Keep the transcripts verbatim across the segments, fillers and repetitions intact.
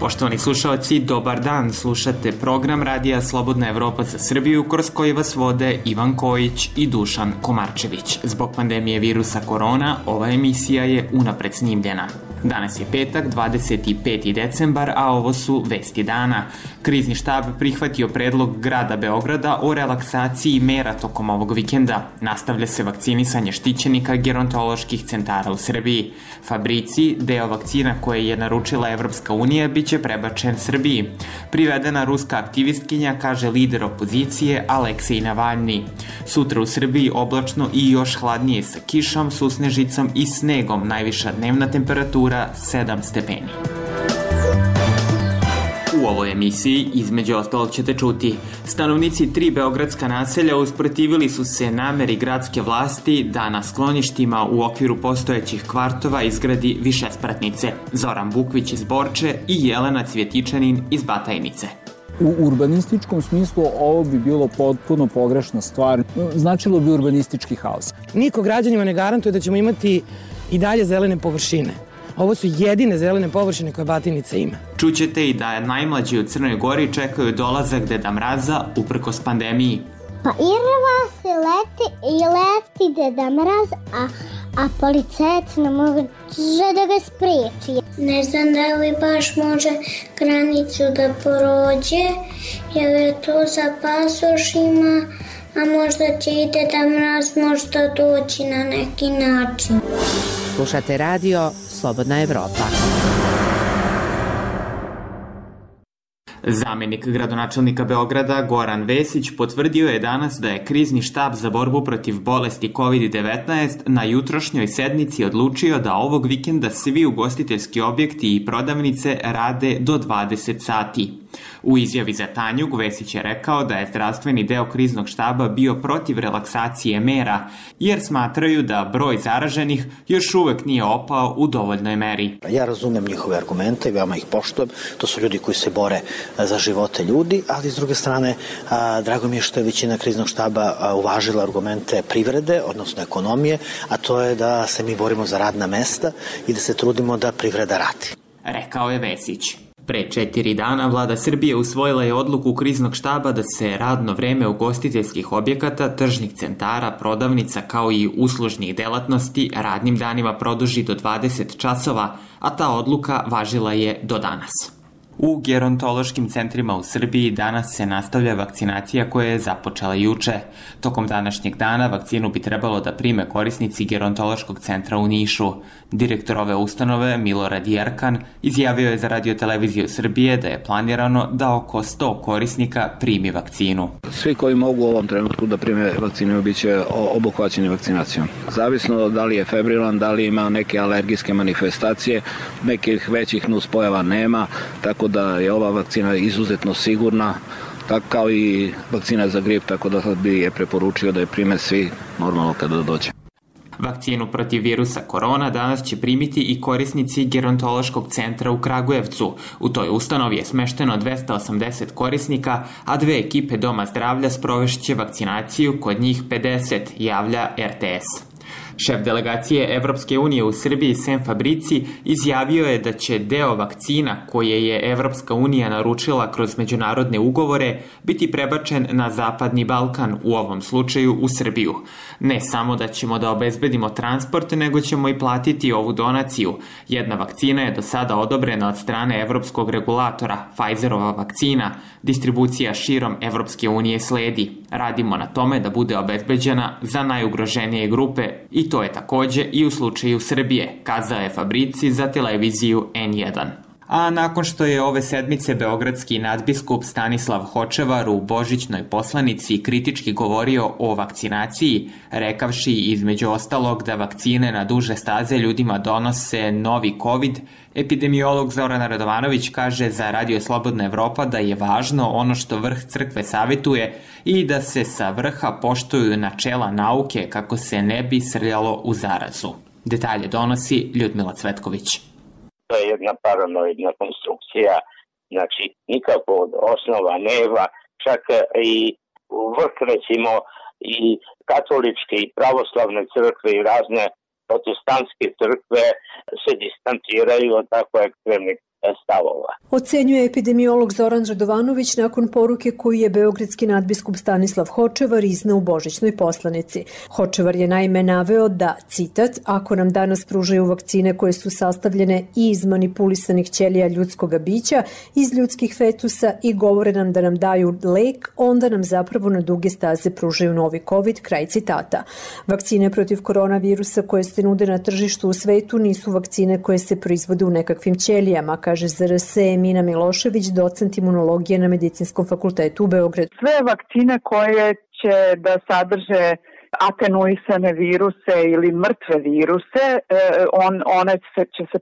Poštovani slušalci, dobar dan, slušate program Radija Slobodna Evropa za Srbiju, kroz koji vas vode Ivan Kojić i Dušan Komarčević. Zbog pandemije virusa korona, ova emisija je unapred snimljena. Danas je petak, dvadeset peti decembar, a ovo su vesti dana. Krizni štab prihvatio predlog grada Beograda o relaksaciji mera tokom ovog vikenda. Nastavlja se vakcinisanje štićenika gerontoloških centara u Srbiji. Fabrici, deo vakcina koje je naručila Evropska unija, biće prebačen Srbiji. Privedena ruska aktivistkinja, kaže lider opozicije Aleksej Navalni. Sutra u Srbiji oblačno i još hladnije sa kišom, susnežicom i snegom, najviša dnevna temperatura sedam stepeni. U ovoj emisiji, između ostalog, ćete čuti: stanovnici tri beogradska naselja usprotivili su se nameri gradske vlasti da na skloništima u okviru postojećih kvartova izgradi višespratnice. Zoran Bukvić iz Borče i Jelena Cvjetičanin iz Batajnice. U urbanističkom smislu ovo bi bilo potpuno pogrešna stvar. Značilo bi urbanistički haos. Niko građanima ne garantuje da ćemo imati i dalje zelene površine. Ovo su jedine zelene površine koje Batajnica ima. Čućete i da najmlađi u Crnoj Gori čekaju dolazak Deda Mraza uprkos pandemiji. Pa irva se leti i leti Deda Mraz, a, a policajac ne može da ga spriječi. Ne znam da li baš može granicu da prođe, jer je to za pasošima, a možda će i Deda Mraz možda doći na neki način. Slušate radio Slobodna Evropa. Zamenik gradonačelnika Beograda Goran Vesić potvrdio je danas da je krizni štab za borbu protiv bolesti kovid devetnaest na jutrošnjoj sednici odlučio da ovog vikenda svi ugostiteljski objekti i prodavnice rade do dvadeset sati. U izjavi za Tanjug, Vesić je rekao da je zdravstveni deo kriznog štaba bio protiv relaksacije mera, jer smatraju da broj zaraženih još uvek nije opao u dovoljnoj meri. Ja razumem njihove argumente, veoma ih poštujem, to su ljudi koji se bore za živote ljudi, ali s druge strane, a, drago mi je što je većina kriznog štaba a, uvažila argumente privrede, odnosno ekonomije, a to je da se mi borimo za radna mesta i da se trudimo da privreda radi. Rekao je Vesić. Pre četiri dana vlada Srbije usvojila je odluku kriznog štaba da se radno vreme ugostiteljskih objekata, tržnih centara, prodavnica kao i uslužnih delatnosti radnim danima produži do dvadeset časova, a ta odluka važila je do danas. U gerontološkim centrima u Srbiji danas se nastavlja vakcinacija koja je započela juče. Tokom današnjeg dana vakcinu bi trebalo da prime korisnici gerontološkog centra u Nišu. Direktor ove ustanove, Milorad Jerkan, izjavio je za Radio-televiziju Srbije da je planirano da oko sto korisnika primi vakcinu. Svi koji mogu u ovom trenutku da prime vakcinu bit će obuhvaćeni vakcinacijom. Zavisno da li je febrilan, da li ima neke alergijske manifestacije, nekih većih nuspojava nema, tako da je ova vakcina izuzetno sigurna, tako kao i vakcina za grip, tako da bi je preporučio da je prime svi normalno kada dođe. Vakcinu protiv virusa korona danas će primiti i korisnici gerontološkog centra u Kragujevcu. U toj ustanovi je smešteno dvesta osamdeset korisnika, a dve ekipe Doma zdravlja sprovešće vakcinaciju, kod njih pedeset, javlja er te es. Šef delegacije Evropske unije u Srbiji Sem Fabrici izjavio je da će deo vakcina koje je Evropska unija naručila kroz međunarodne ugovore biti prebačen na Zapadni Balkan, u ovom slučaju u Srbiju. Ne samo da ćemo da obezbedimo transport, nego ćemo i platiti ovu donaciju. Jedna vakcina je do sada odobrena od strane evropskog regulatora, Pfizerova vakcina. Distribucija širom Evropske unije sledi. Radimo na tome da bude obezbeđena za najugroženije grupe i to je takođe i u slučaju Srbije, kazao je Fabrici za televiziju en jedan. A nakon što je ove sedmice beogradski nadbiskup Stanislav Hočevar u božićnoj poslanici kritički govorio o vakcinaciji, rekavši između ostalog da vakcine na duže staze ljudima donose novi COVID, epidemiolog Zoran Radovanović kaže za Radio Slobodna Evropa da je važno ono što vrh crkve savetuje i da se sa vrha poštuju načela nauke kako se ne bi srljalo u zarazu. Detalje donosi Ljudmila Cvetković. To je jedna paranoidna konstrukcija, znači nikako od osnova nema, čak i vrh recimo i katoličke i pravoslavne crkve i razne protestantske crkve se distanciraju od tako ekstremnih stavova. Ocenjuje epidemiolog Zoran Radovanović nakon poruke koju je beogradski nadbiskup Stanislav Hočevar izneo u božićnoj poslanici. Hočevar je naime naveo da, citat, ako nam danas pružaju vakcine koje su sastavljene i iz manipulisanih ćelija ljudskoga bića, iz ljudskih fetusa i govore nam da nam daju lek, onda nam zapravo na duge staze pružaju novi COVID, kraj citata. Vakcine protiv koronavirusa koje se nude na tržištu u svetu nisu vakcine koje se proizvode u nekakvim ćelijama, kaže Z R S Emina Milošević, docent imunologije na Medicinskom fakultetu u Beogradu. Sve vakcine koje će da sadrže atenuisane viruse ili mrtve viruse, on, one se, će se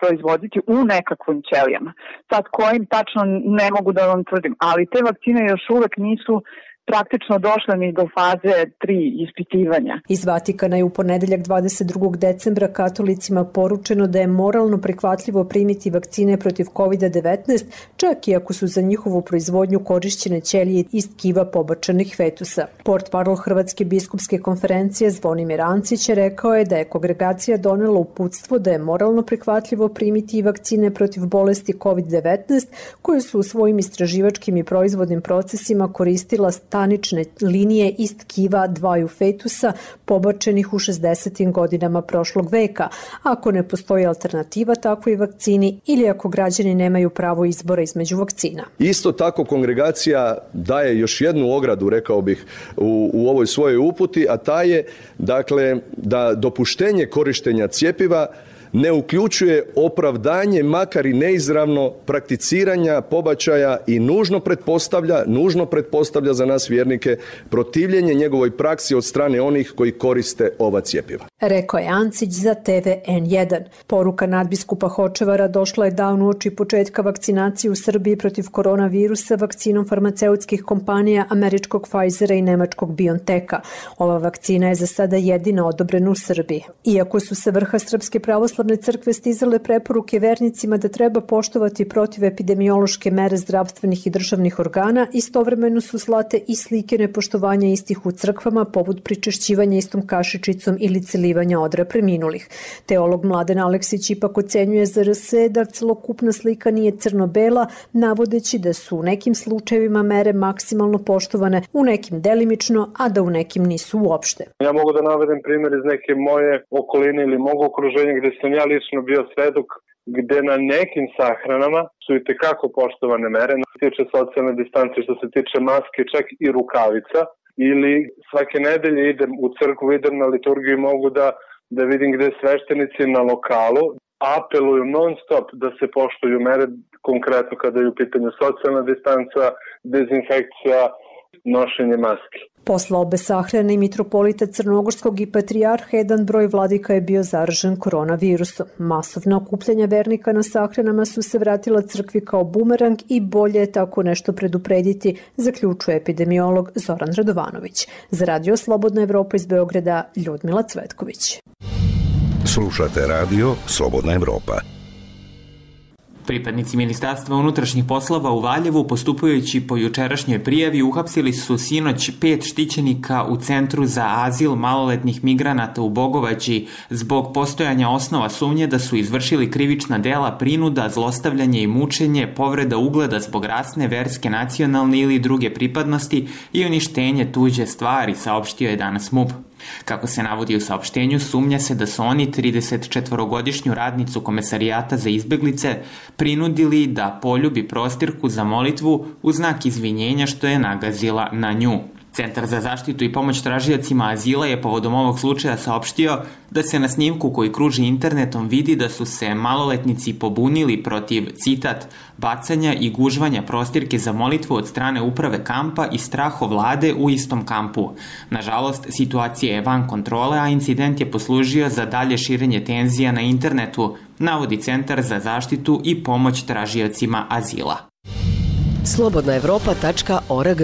proizvoditi u nekakvim ćelijama. Sad kojim tačno ne mogu da vam tvrdim, ali te vakcine još uvek nisu praktično došla ni do faze tri ispitivanja. Iz Vatikana je u ponedeljak dvadeset drugog decembra katolicima poručeno da je moralno prihvatljivo primiti vakcine protiv kovid devetnaest, čak i ako su za njihovu proizvodnju korišćene ćelije iz tkiva pobačenih fetusa. Portparol Hrvatske biskupske konferencije Zvonimir Ancić rekao je da je kongregacija donela uputstvo da je moralno prihvatljivo primiti i vakcine protiv bolesti kovid devetnaest, koje su u svojim istraživačkim i proizvodnim procesima koristila stanične linije iz tkiva dvaju fetusa pobačenih u šezdesetim godinama prošlog veka, ako ne postoji alternativa takvoj vakcini ili ako građani nemaju pravo izbora između vakcina. Isto tako kongregacija daje još jednu ogradu, rekao bih, u, u ovoj svojoj uputi, a ta je dakle da dopuštenje korištenja cjepiva ne uključuje opravdanje, makar i neizravno, prakticiranja pobačaja i nužno pretpostavlja, nužno pretpostavlja za nas vjernike protivljenje njegovoj praksi od strane onih koji koriste ova cjepiva. Rekao je Ancić za T V N jedan. Poruka nadbiskupa Hočevara došla je dan uoči početka vakcinacije u Srbiji protiv koronavirusa vakcinom farmaceutskih kompanija američkog Pfizera i nemačkog BioNTecha. Ova vakcina je za sada jedina odobrena u Srbiji. Iako su se vrha Srpske pravoslavne crkve stizale preporuke vernicima da treba poštovati protivepidemiološke mere zdravstvenih i državnih organa, istovremeno su slate i slike nepoštovanja istih u crkvama, poput pričešćivanja istom kašičicom ili celivanja odra preminulih. Teolog Mladen Aleksić ipak ocenjuje Z R S da celokupna slika nije crno-bela, navodeći da su u nekim slučajevima mere maksimalno poštovane, u nekim delimično, a da u nekim nisu uopšte. Ja mogu da navedem primjer iz neke moje okoline ili mog okruženja gde sam ja lično bio svedok, gde na nekim sahranama su i tekako poštovane mere, što se tiče socijalne distance, što se tiče maske, čak i rukavica, ili svake nedelje idem u crkvu, idem na liturgiju i mogu da, da vidim gde sveštenici na lokalu apeluju non stop da se poštuju mere, konkretno kada je u pitanju socijalna distanca, dezinfekcija, nošenje maske. Posle obe sahrane i mitropolita Crnogorskog i patrijarha, jedan broj vladika je bio zaražen koronavirusom. Masovna okupljanja vernika na sahranama su se vratila crkvi kao bumerang i bolje je tako nešto preduprediti, zaključuje epidemiolog Zoran Radovanović. Za Radio Slobodna Evropa iz Beograda, Ljudmila Cvetković. Slušate Radio Slobodna Evropa. Pripadnici Ministarstva unutrašnjih poslova u Valjevu, postupajući po jučerašnjoj prijavi, uhapsili su sinoć pet štićenika u Centru za azil maloletnih migranata u Bogovači zbog postojanja osnova sumnje da su izvršili krivična dela prinuda, zlostavljanje i mučenje, povreda ugleda zbog rasne, verske, nacionalne ili druge pripadnosti i uništenje tuđe stvari, saopštio je danas M U P. Kako se navodi u saopštenju, sumnja se da su oni tridesetčetvorogodišnju radnicu Komesarijata za izbeglice prinudili da poljubi prostirku za molitvu u znak izvinjenja što je nagazila na nju. Centar za zaštitu i pomoć tražiocima azila je povodom ovog slučaja saopštio da se na snimku koji kruži internetom vidi da su se maloletnici pobunili protiv, citat, bacanja i gužvanja prostirke za molitvu od strane uprave kampa i strahovlade u istom kampu. Nažalost, situacija je van kontrole, a incident je poslužio za dalje širenje tenzija na internetu, navodi Centar za zaštitu i pomoć tražiocima azila. slobodna evropa tačka org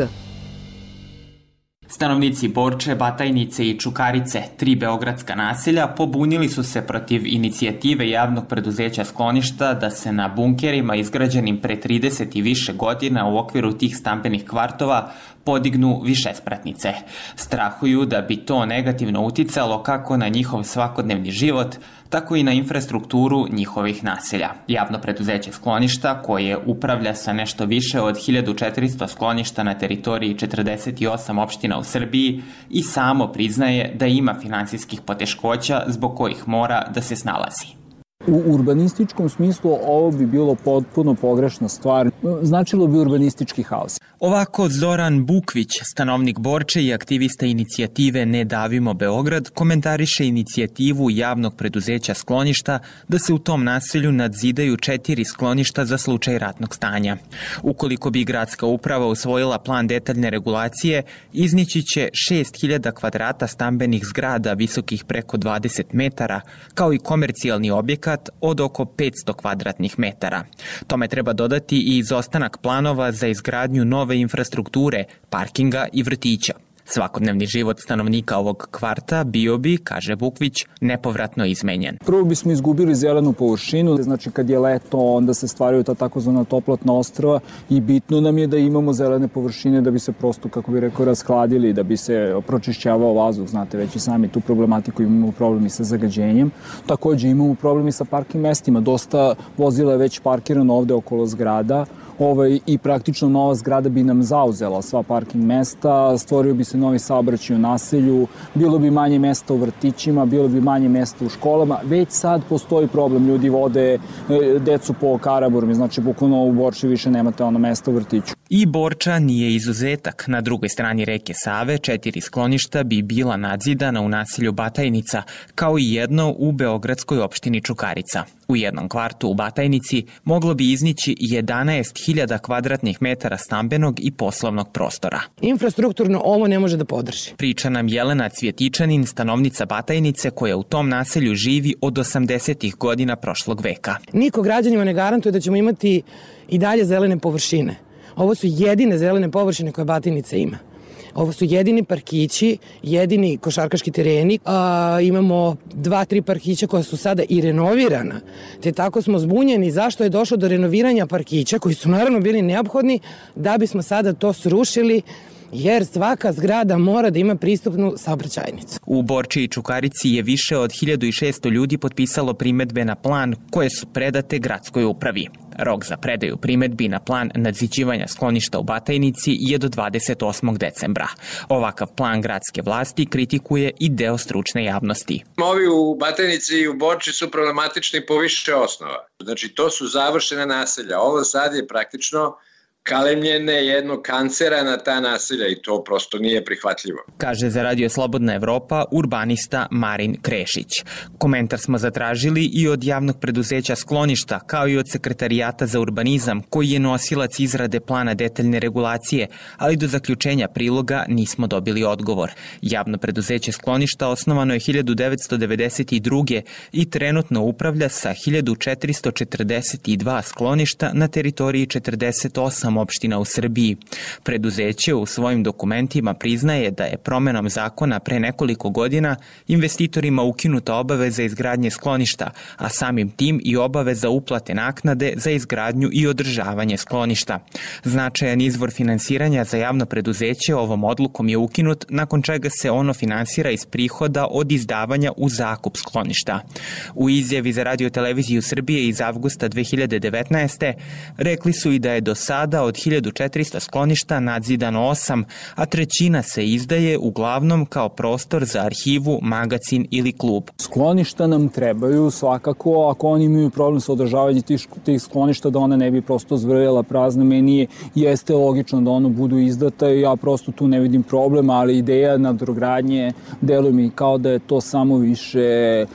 Stanovnici Borče, Batajnice i Čukarice, tri beogradska naselja, pobunili su se protiv inicijative javnog preduzeća Skloništa da se na bunkerima izgrađenim pre trideset i više godina u okviru tih stambenih kvartova podignu višespratnice. Strahuju da bi to negativno uticalo kako na njihov svakodnevni život, tako i na infrastrukturu njihovih naselja. Javno preduzeće Skloništa, koje upravlja sa nešto više od hiljadu četiristo skloništa na teritoriji četrdeset osam opština u Srbiji, i samo priznaje da ima finansijskih poteškoća zbog kojih mora da se snalazi. U urbanističkom smislu ovo bi bilo potpuno pogrešna stvar. Značilo bi urbanistički haos. Ovako Zoran Bukvić, stanovnik Borče i aktivista inicijative Ne davimo Beograd, komentariše inicijativu javnog preduzeća Skloništa da se u tom naselju nadzidaju četiri skloništa za slučaj ratnog stanja. Ukoliko bi gradska uprava usvojila plan detaljne regulacije, iznići će šest hiljada kvadrata stambenih zgrada visokih preko dvadeset metara, kao i komercijalni objekat od oko petsto kvadratnih metara. Tome treba dodati i izostanak planova za izgradnju nove infrastrukture, parkinga i vrtića. Svakodnevni život stanovnika ovog kvarta bio bi, kaže Bukvić, nepovratno izmenjen. Prvo bismo izgubili zelenu površinu, znači kad je leto onda se stvaraju ta takozvana toplotna ostrva i bitno nam je da imamo zelene površine da bi se prosto, kako bi rekao, rashladili, da bi se pročišćavao vazduh, znate već i sami tu problematiku, imamo problemi sa zagađenjem. Takođe imamo problemi sa parking mestima, dosta vozila je već parkirano ovde okolo zgrada. Ovaj, i praktično nova zgrada bi nam zauzela sva parking mesta, stvorio bi se novi saobraćaj u naselju, bilo bi manje mesta u vrtićima, bilo bi manje mesta u školama. Već sad postoji problem, ljudi vode decu po Karaburmi, znači bukvalno u Borči više nemate ono mesta u vrtiću. I Borča nije izuzetak. Na drugoj strani reke Save četiri skloništa bi bila nadzidana u naselju Batajnica, kao i jedno u beogradskoj opštini Čukarica. U jednom kvartu u Batajnici moglo bi iznići jedanaest hiljada kvadratnih metara stambenog i poslovnog prostora. Infrastrukturno ovo ne može da podrži. Priča nam Jelena Cvjetičanin, stanovnica Batajnice, koja u tom naselju živi od osamdesetih godina prošlog veka. Niko građanima ne garantuje da ćemo imati i dalje zelene površine. Ovo su jedine zelene površine koje Batajnica ima. Ovo su jedini parkići, jedini košarkaški tereni. A, imamo dva, tri parkića koja su sada i renovirana. Te tako smo zbunjeni zašto je došlo do renoviranja parkića, koji su naravno bili neophodni, da bismo sada to srušili, jer svaka zgrada mora da ima pristupnu saobraćajnicu. U Borči i Čukarici je više od hiljadu šesto ljudi potpisalo primetbe na plan koje su predate gradskoj upravi. Rok za predaju primetbi na plan nadziđivanja skloništa u Batajnici je do dvadeset osmog decembra. Ovakav plan gradske vlasti kritikuje i deo stručne javnosti. Ovi u Batajnici i u Borči su problematični po više osnova. Znači, to su završene naselja. Ovo sad je praktično kalemljene jednog kancera na ta naselja i to prosto nije prihvatljivo. Kaže za Radio Slobodna Evropa urbanista Marin Krešić. Komentar smo zatražili i od javnog preduzeća Skloništa, kao i od Sekretarijata za urbanizam, koji je nosilac izrade plana detaljne regulacije, ali do zaključenja priloga nismo dobili odgovor. Javno preduzeće Skloništa osnovano je hiljadu devetsto devedeset druge. i trenutno upravlja sa hiljadu četiristo četrdeset dva skloništa na teritoriji četrdeset osam opština u Srbiji. Preduzeće u svojim dokumentima priznaje da je promenom zakona pre nekoliko godina investitorima ukinuta obaveza izgradnje skloništa, a samim tim i obaveza uplate naknade za izgradnju i održavanje skloništa. Značajan izvor finansiranja za javno preduzeće ovom odlukom je ukinut, nakon čega se ono finansira iz prihoda od izdavanja u zakup skloništa. U izjavi za Radio televiziju Srbije iz avgusta dve hiljade devetnaeste. rekli su i da je do sada od hiljadu četiristo skloništa nadzidano osam, a trećina se izdaje uglavnom kao prostor za arhivu, magacin ili klub. Skloništa nam trebaju svakako, ako oni imaju problem sa održavanjem tih, tih skloništa, da ona ne bi prosto zvrljala prazna. Meni jeste logično da ono budu izdata i ja prosto tu ne vidim problem, ali ideja nadogradnje deluje mi kao da je to samo više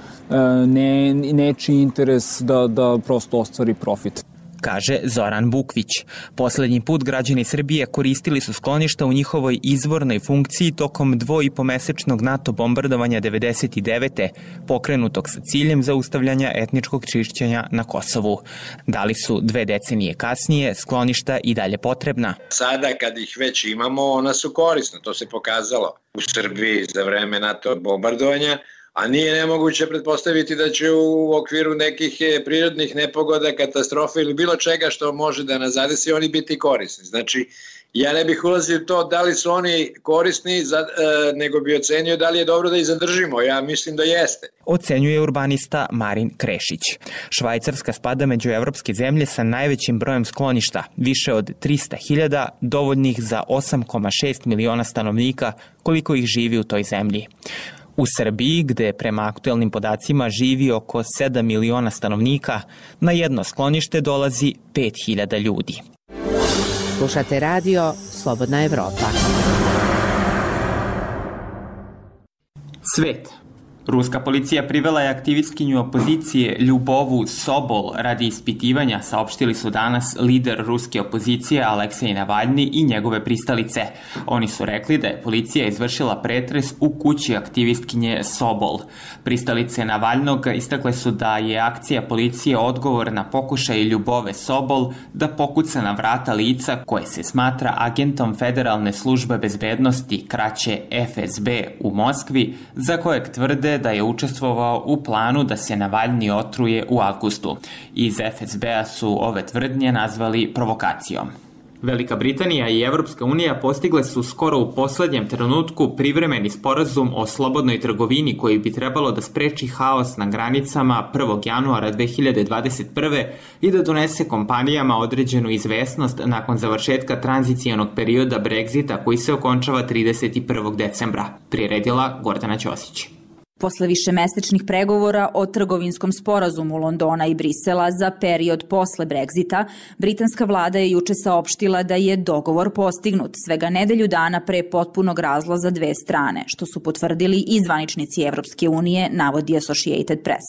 ne, nečiji interes da, da prosto ostvari profit. kaže Zoran Bukvić. Poslednji put građani Srbije koristili su skloništa u njihovoj izvornoj funkciji tokom dvoipomesečnog NATO bombardovanja devedeset devete. pokrenutog sa ciljem zaustavljanja etničkog čišćenja na Kosovu. Da li su dve decenije kasnije skloništa i dalje potrebna? Sada kad ih već imamo, ona su korisna, to se pokazalo u Srbiji za vreme NATO bombardovanja, a nije nemoguće pretpostaviti da će u okviru nekih prirodnih nepogoda, katastrofa ili bilo čega što može da nas zadesi, oni biti korisni. Znači, ja ne bih ulazio u to da li su oni korisni, za, e, nego bi ocenio da li je dobro da ih zadržimo. Ja mislim da jeste. Ocenjuje urbanista Marin Krešić. Švajcarska spada među evropske zemlje sa najvećim brojem skloništa, više od trista hiljada, dovoljnih za osam zarez šest miliona stanovnika, koliko ih živi u toj zemlji. U Srbiji, gde prema aktuelnim podacima živi oko sedam miliona stanovnika, na jedno sklonište dolazi pet hiljada ljudi. Slušate radio Slobodna Evropa. Svet. Ruska policija privela je aktivistkinju opozicije Ljubovu Sobol radi ispitivanja, saopštili su danas lider ruske opozicije Aleksej Navalni i njegove pristalice. Oni su rekli da je policija izvršila pretres u kući aktivistkinje Sobol. Pristalice Navalnog istakle su da je akcija policije odgovor na pokušaj Ljubove Sobol da pokuca na vrata lica koje se smatra agentom Federalne službe bezbednosti, kraće F S B, u Moskvi, za kojeg tvrde da je učestvovao u planu da se Navalni otruje u avgustu. Iz F S B-a su ove tvrdnje nazvali provokacijom. Velika Britanija i Evropska unija postigle su skoro u poslednjem trenutku privremeni sporazum o slobodnoj trgovini koji bi trebalo da spreči haos na granicama prvog januara dve hiljade dvadeset prve. i da donese kompanijama određenu izvesnost nakon završetka tranzicijonog perioda Brexita koji se okončava trideset prvog decembra. Priredila Gordana Ćosić. Posle višemesečnih pregovora o trgovinskom sporazumu Londona i Brisela za period posle Brexita, britanska vlada je juče saopštila da je dogovor postignut svega nedelju dana pre potpunog razlaza dve strane, što su potvrdili i zvaničnici Evropske unije, navodi Associated Press.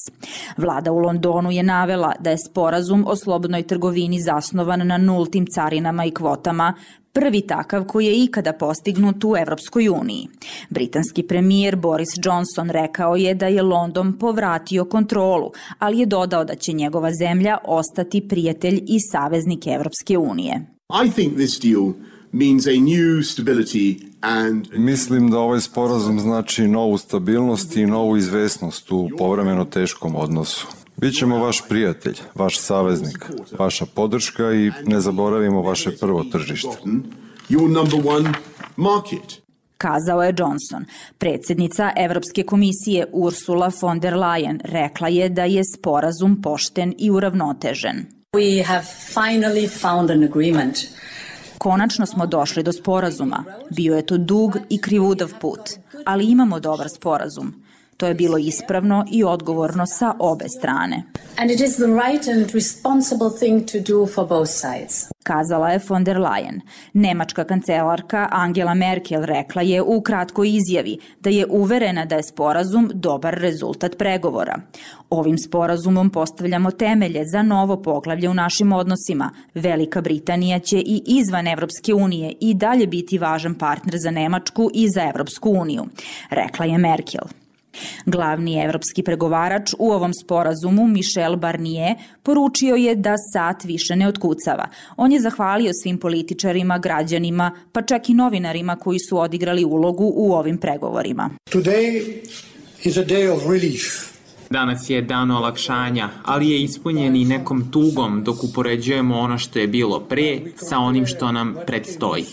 Vlada u Londonu je navela da je sporazum o slobodnoj trgovini zasnovan na nultim carinama i kvotama, prvi takav koji je ikada postignut u Evropskoj uniji. Britanski premijer Boris Johnson rekao je da je London povratio kontrolu, ali je dodao da će njegova zemlja ostati prijatelj i saveznik Evropske unije. I think this deal means a new stability and... Mislim da ovaj sporazum znači novu stabilnost i novu izvesnost u povremeno teškom odnosu. Bićemo vaš prijatelj, vaš saveznik, vaša podrška i ne zaboravimo vaše prvo tržište. Kazao je Johnson. Predsjednica Evropske komisije Ursula von der Leyen rekla je da je sporazum pošten i uravnotežen. We have finally found an agreement. Konačno smo došli do sporazuma. Bio je to dug i krivudav put, ali imamo dobar sporazum. To je bilo ispravno i odgovorno sa obe strane. And it is the right and responsible thing to do for both sides. Kazala je von der Leyen. Nemačka kancelarka Angela Merkel rekla je u kratkoj izjavi da je uverena da je sporazum dobar rezultat pregovora. Ovim sporazumom postavljamo temelje za novo poglavlje u našim odnosima. Velika Britanija će i izvan Evropske unije i dalje biti važan partner za Nemačku i za Evropsku uniju, rekla je Merkel. Glavni evropski pregovarač u ovom sporazumu, Michel Barnier, poručio je da sat više ne otkucava. On je zahvalio svim političarima, građanima, pa čak i novinarima koji su odigrali ulogu u ovim pregovorima. Today is a day of relief. Danas je dan olakšanja, ali je ispunjen i nekom tugom dok upoređujemo ono što je bilo pre sa onim što nam predstoji.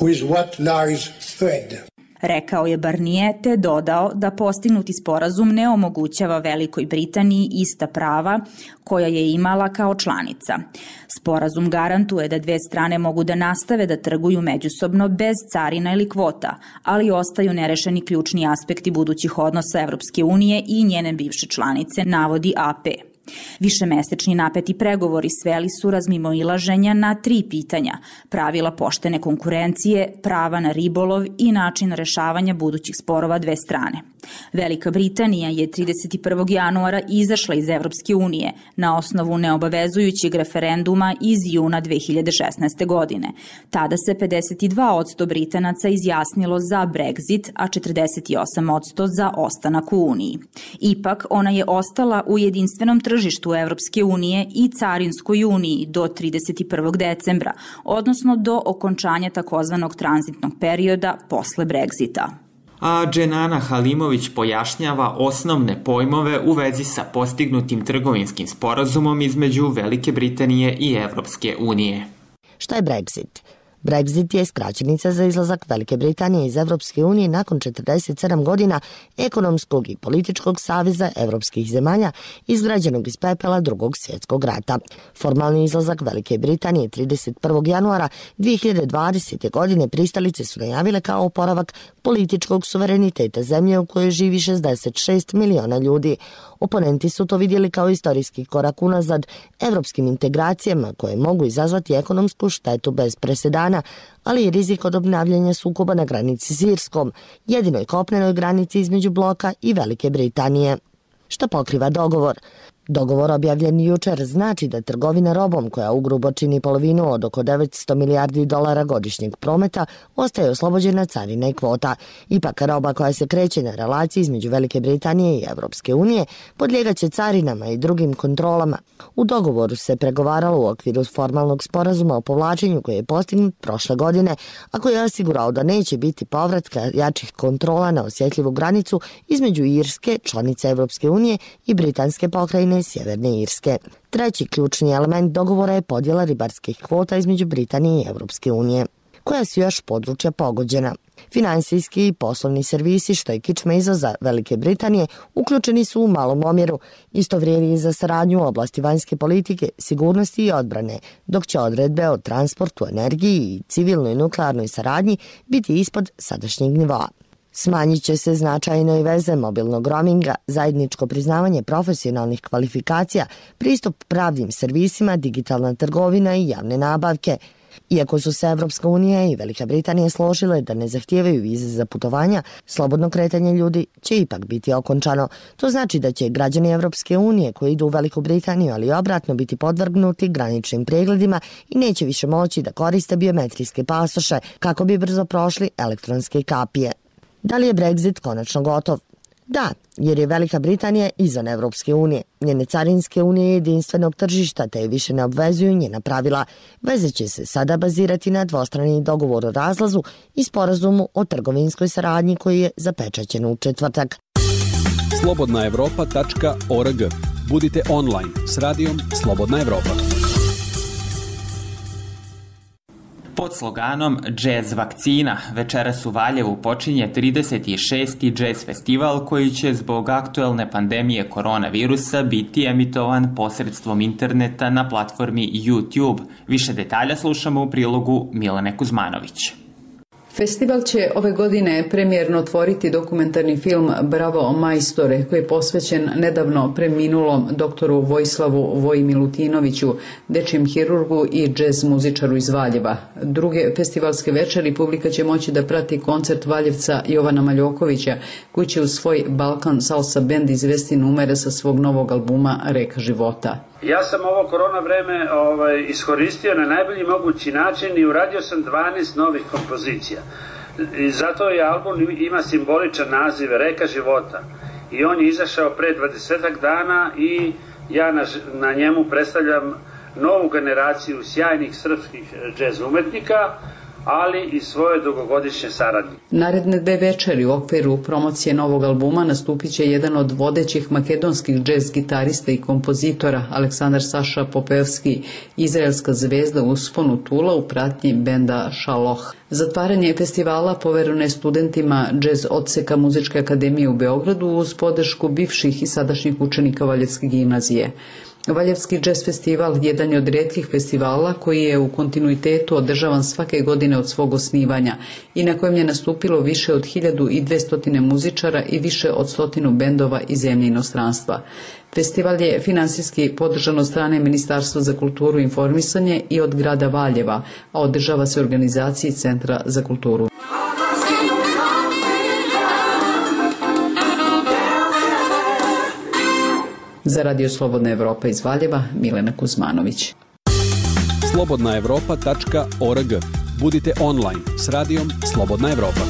With what lies ahead. Rekao je Barnier te dodao da postignuti sporazum ne omogućava Velikoj Britaniji ista prava koja je imala kao članica. Sporazum garantuje da dve strane mogu da nastave da trguju međusobno bez carina ili kvota, ali ostaju nerešeni ključni aspekti budućih odnosa Evropske unije i njene bivše članice, navodi A P. Višemesečni napeti pregovori sveli su razmimoilaženja na tri pitanja: pravila poštene konkurencije, prava na ribolov i način rešavanja budućih sporova dve strane. Velika Britanija je trideset prvog januara izašla iz Evropske unije na osnovu neobavezujućeg referenduma iz juna dve hiljade šesnaeste. godine. Tada se pedeset dva posto Britanaca izjasnilo za Brexit, a četrdeset osam posto za ostanak u Uniji. Ipak, ona je ostala u jedinstvenom tržištu Evropske unije i Carinskoj uniji do trideset prvog decembra, odnosno do okončanja takozvanog tranzitnog perioda posle Brexita. A Dženana Halimović pojašnjava osnovne pojmove u vezi sa postignutim trgovinskim sporazumom između Velike Britanije i Evropske unije. Šta je Brexit? Brexit je skraćenica za izlazak Velike Britanije iz Evropske unije nakon četrdeset sedam godina ekonomskog i političkog saveza evropskih zemalja izgrađenog iz pepela Drugog svjetskog rata. Formalni izlazak Velike Britanije trideset prvog januara dve hiljade dvadesete. godine pristalice su najavile kao oporavak političkog suvereniteta zemlje u kojoj živi šezdeset šest miliona ljudi. Oponenti su to vidjeli kao istorijski korak unazad evropskim integracijama koje mogu izazvati ekonomsku štetu bez presedana, ali i rizik od obnavljanja sukoba na granici s Irskom, jedinoj kopnenoj granici između bloka i Velike Britanije. Šta pokriva dogovor? Dogovor objavljen jučer znači da trgovina robom, koja ugrubo čini polovinu od oko devetsto milijardi dolara godišnjeg prometa, ostaje oslobođena carina i kvota. Ipak roba koja se kreće na relaciji između Velike Britanije i Evropske unije podlijegaće carinama i drugim kontrolama. U dogovoru se pregovaralo u okviru formalnog sporazuma o povlačenju koji je postignut prošle godine, a koji je osigurao da neće biti povratka jačih kontrola na osjetljivu granicu između Irske, članice Evropske unije, i britanske pokrajine Sjeverne Irske. Treći ključni element dogovora je podjela ribarskih kvota između Britanije i Evropske unije. Koja su još područja pogođena? Finansijski i poslovni servisi, što je kičma izvoza Velike Britanije, uključeni su u malom omjeru. Isto vrijedi i za saradnju u oblasti vanjske politike, sigurnosti i odbrane, dok će odredbe o transportu, energiji i civilnoj nuklearnoj saradnji biti ispod sadašnjeg nivoa. Smanjit će se značajno i veze mobilnog roaminga, zajedničko priznavanje profesionalnih kvalifikacija, pristup pravnim servisima, digitalna trgovina i javne nabavke. Iako su se Evropska unija i Velika Britanija složile da ne zahtijevaju vize za putovanja, slobodno kretanje ljudi će ipak biti okončano. To znači da će građani Evropske unije koji idu u Veliku Britaniju, ali obratno, biti podvrgnuti graničnim pregledima i neće više moći da koriste biometrijske pasoše kako bi brzo prošli elektronske kapije. Da li je Brexit konačno gotov? Da, jer je Velika Britanija izvan Evropske unije. Njene carinske unije jedinstvenog tržišta te više ne obvezuju njena pravila. Veze će se sada bazirati na dvostrani dogovor o razlazu i sporazumu o trgovinskoj saradnji koji je zapečaćen u četvrtak. slobodna evropa tačka org. Budite online s radijom Slobodna Evropa. Pod sloganom Jazz vakcina večeras u Valjevu počinje trideset šesti Jazz festival koji će zbog aktuelne pandemije koronavirusa biti emitovan posredstvom interneta na platformi YouTube. Više detalja slušamo u prilogu Milane Kuzmanović. Festival će ove godine premijerno otvoriti dokumentarni film Bravo majstore, koji je posvećen nedavno preminulom doktoru Vojislavu Voji Milutinoviću, dečijem hirurgu i džez muzičaru iz Valjeva. Druge festivalske večeri publika će moći da prati koncert Valjevca Jovana Maljokovića, koji će u svoj Balkan Salsa Band izvesti numere sa svog novog albuma Reka života. Ja sam ovo korona vreme ovaj, iskoristio na najbolji mogući način i uradio sam dvanaest novih kompozicija. I zato je album ima simboličan naziv Reka života. I on je izašao pre dvadesetak dana i ja na, na njemu predstavljam novu generaciju sjajnih srpskih džez umetnika, ali i svoje dugogodišnje saradnje. Naredne dve večeri u okviru promocije novog albuma nastupit će jedan od vodećih makedonskih džez gitarista i kompozitora, Aleksandar Saša Popevski, izraelska zvezda usponu Tula u pratnji benda Šaloh. Zatvaranje festivala povereno je studentima džez odseka Muzičke akademije u Beogradu uz podršku bivših i sadašnjih učenika Valjevske gimnazije. Valjevski jazz festival jedan je od rijetkih festivala koji je u kontinuitetu održavan svake godine od svog osnivanja i na kojem je nastupilo više od hiljadu dvesta muzičara i više od stotinu bendova iz zemlje i inostranstva. Festival je finansijski podržan od strane Ministarstva za kulturu i informisanje i od grada Valjeva, a održava se u organizaciji Centra za kulturu. Za Radio Slobodna Evropa iz Valjeva, Milena Kuzmanović. slobodna evropa tačka org. Budite online s radijom Slobodna Evropa.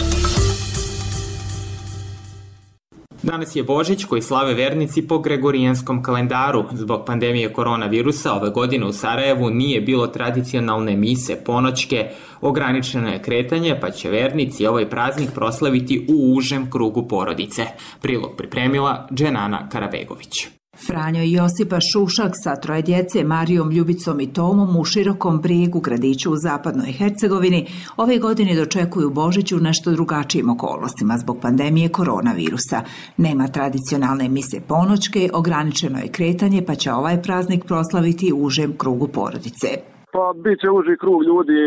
Danas je Božić koji slave vernici po gregorijanskom kalendaru. Zbog pandemije koronavirusa ove godine u Sarajevu nije bilo tradicionalne mise ponoćke, ograničeno je kretanje, pa će vernici ovaj praznik proslaviti u užem krugu porodice. Prilog pripremila Dženana Karabegović. Franjo i Josipa Šušak sa troje djece, Marijom, Ljubicom i Tomom u Širokom Brijegu, gradiću u zapadnoj Hercegovini, ove godine dočekuju Božić u nešto drugačijim okolnostima zbog pandemije koronavirusa. Nema tradicionalne mise ponoćke, ograničeno je kretanje, pa će ovaj praznik proslaviti u užem krugu porodice. Pa bit će uži krug ljudi,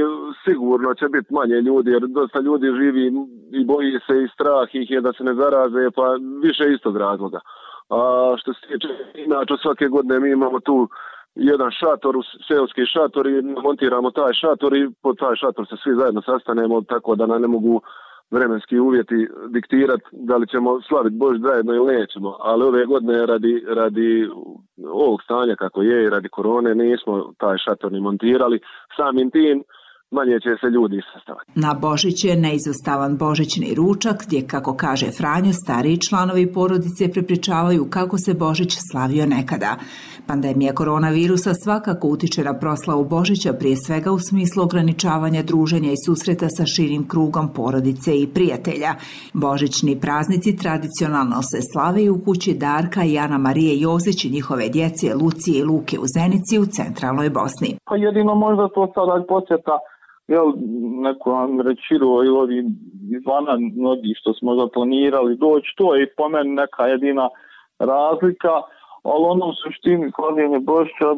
sigurno će biti manje ljudi, jer dosta ljudi živi i boji se i strah ih je da se ne zaraze, pa više istog razloga. A što se tiče, inače svake godine mi imamo tu jedan šator, seoski šator i montiramo taj šator i pod taj šator se svi zajedno sastanemo, tako da nam ne mogu vremenski uvjeti diktirati da li ćemo slaviti Božić zajedno ili nećemo. Ali ove godine radi, radi ovog stanja kako je i radi korone nismo taj šator ni montirali. Samim tim manje će se ljudi sastavati. Na Božić je neizostavan božićni ručak, gdje, kako kaže Franjo, stariji članovi porodice prepričavaju kako se Božić slavio nekada. Pandemija koronavirusa svakako utiče na proslavu Božića, prije svega u smislu ograničavanja druženja i susreta sa širim krugom porodice i prijatelja. Božićni praznici tradicionalno se slave i u kući Darka i Ana Marije Jozić i njihove djece Lucije i Luke u Zenici u centralnoj Bosni. Pa jedino možda to sada posjeta jel, neko vam rečiro ili ovi izvana mnogi što smo zaplanirali doći, to je po meni neka jedina razlika, ali ono u suštini slavljenje Božića,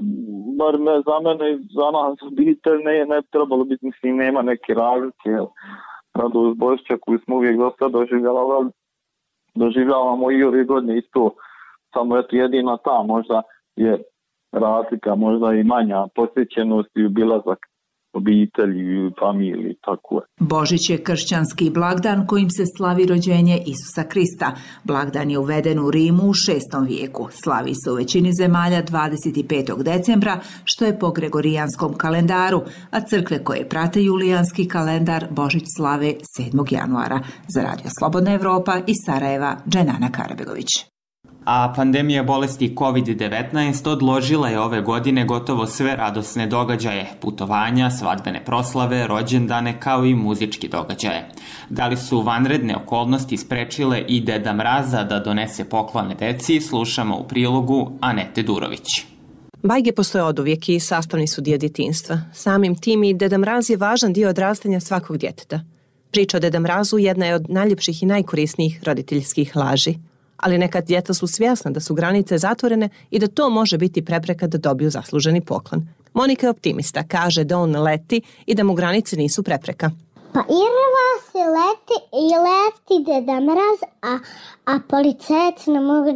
bar me, za mene i za nas obitelj ne, ne trebalo biti, mislim, nema neke razlike, jel, radost Božića koju smo uvijek dosta doživljavali, doživljavamo i ove godine isto, samo eto jedina ta možda je razlika, možda i manja posjećenost i obilazak obitelji, familiji, tako je. Božić je kršćanski blagdan kojim se slavi rođenje Isusa Krista. Blagdan je uveden u Rimu u šestom vijeku. Slavi se u većini zemalja dvadeset petog decembra, što je po gregorijanskom kalendaru, a crkve koje prate julijanski kalendar Božić slave sedmog januara. Za Radio Slobodna Evropa iz Sarajeva, Dženana Karabegović. A pandemija bolesti kovid devetnaest odložila je ove godine gotovo sve radosne događaje, putovanja, svadbene proslave, rođendane kao i muzički događaje. Da li su vanredne okolnosti sprečile i Deda Mraza da donese poklone deci, slušamo u prilogu Anete Durović. Bajge postoje oduvijek i sastavni su dio djetinjstva. Samim tim i Deda Mraz je važan dio odrastanja svakog djeteta. Priča o Deda Mrazu jedna je od najljepših i najkorisnijih roditeljskih laži. Ali nekad djeca su svjesna da su granice zatvorene i da to može biti prepreka da dobiju zasluženi poklon. Monika je optimista, kaže da on leti i da mu granice nisu prepreka. Pa Irva se leti i leti Deda Mraz, a, a policajac ne može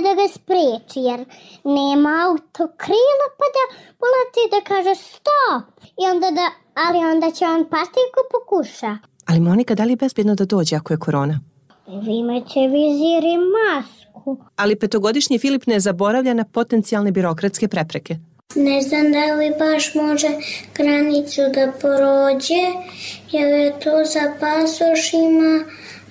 da ga spriječi jer nema autokrila pa da poleti da kaže stop. I onda da, ali onda će on pasti ako pokuša. Ali Monika, da li je bezbjedno da dođe ako je korona? Imaće vizir i masku. Ali petogodišnji Filip ne zaboravlja na potencijalne birokratske prepreke. Ne znam da li baš može granicu da prođe, jer je to za pasošima,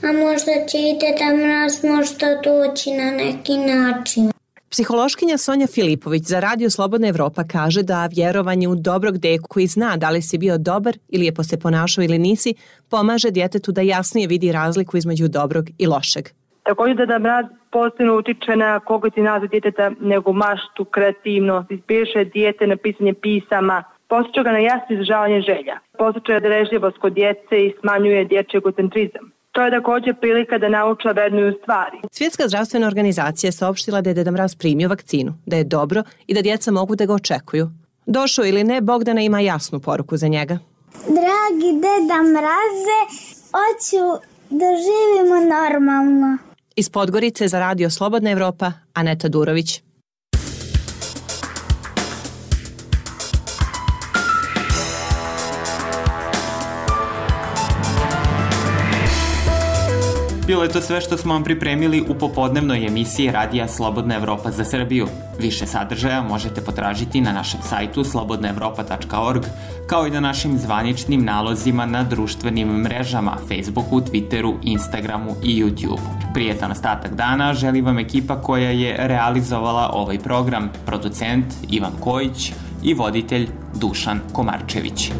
a možda će i Deda Mraz možda doći na neki način. Psihološkinja Sonja Filipović za Radio Slobodna Evropa kaže da vjerovanje u dobrog deku koji zna da li si bio dobar ili je se ponašao ili nisi, pomaže djetetu da jasnije vidi razliku između dobrog i lošeg. Također Deda Mraz posebno utiče na kognitivni djeteta, nego maštu, kreativnost, inspiriše dijete na pisanje pisama, podsjeća ga na jasno izražavanje želja, podsjeća darežljivost kod djece i smanjuje dječji egocentrizam. To je također prilika da nauče vrednuju stvari. Svjetska zdravstvena organizacija je saopštila da je Deda Mraz primio vakcinu, da je dobro i da djeca mogu da ga očekuju. Došao ili ne, Bogdana ima jasnu poruku za njega. Dragi Deda Mraze, hoću da živimo normalno. Iz Podgorice za radio Slobodna Evropa, Aneta Durović. Bilo je to sve što smo vam pripremili u popodnevnoj emisiji Radija Slobodna Evropa za Srbiju. Više sadržaja možete potražiti na našem sajtu slobodna evropa tačka org, kao i na našim zvaničnim nalozima na društvenim mrežama Facebooku, Twitteru, Instagramu i YouTubeu. Prijetan ostatak dana želi vam ekipa koja je realizovala ovaj program, producent Ivan Kojić i voditelj Dušan Komarčević.